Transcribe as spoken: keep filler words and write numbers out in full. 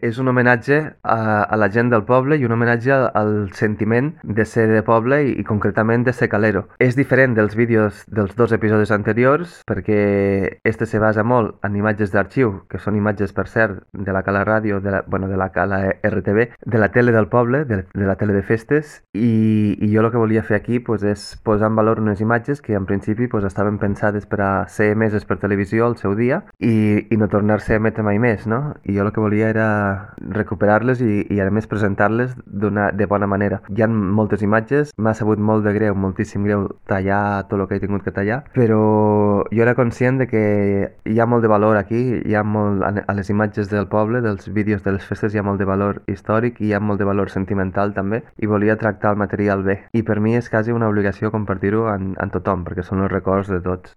És un homenatge a, a la gent del poble i un homenatge al, al sentiment de ser de poble i, i concretament de ser calero. És diferent dels vídeos dels dos episodis anteriors perquè este se basa molt en imatges d'arxiu, que són imatges, per cert, de la Cala Ràdio, de la, bueno, de la Cala R T V, de la tele del poble, de, de la tele de festes, i, i jo el que volia fer aquí pues, és posar en valor unes imatges que en principi pues, estaven pensades per a ser emeses per televisió al seu dia i, i no tornar-se a emetre mai més, no? I jo el que volia era recuperar-les i, i a més presentar-les d'una de bona manera. Hi ha moltes imatges, m'ha sabut molt de greu, moltíssim greu tallar tot el que he tingut que tallar, però jo era conscient de que hi ha molt de valor aquí, hi ha molt, a les imatges del poble, dels vídeos de les festes, hi ha molt de valor històric i hi ha molt de valor sentimental també, i volia tractar el material bé. I per mi és quasi una obligació compartir-ho amb, amb tothom, perquè són els records de tots.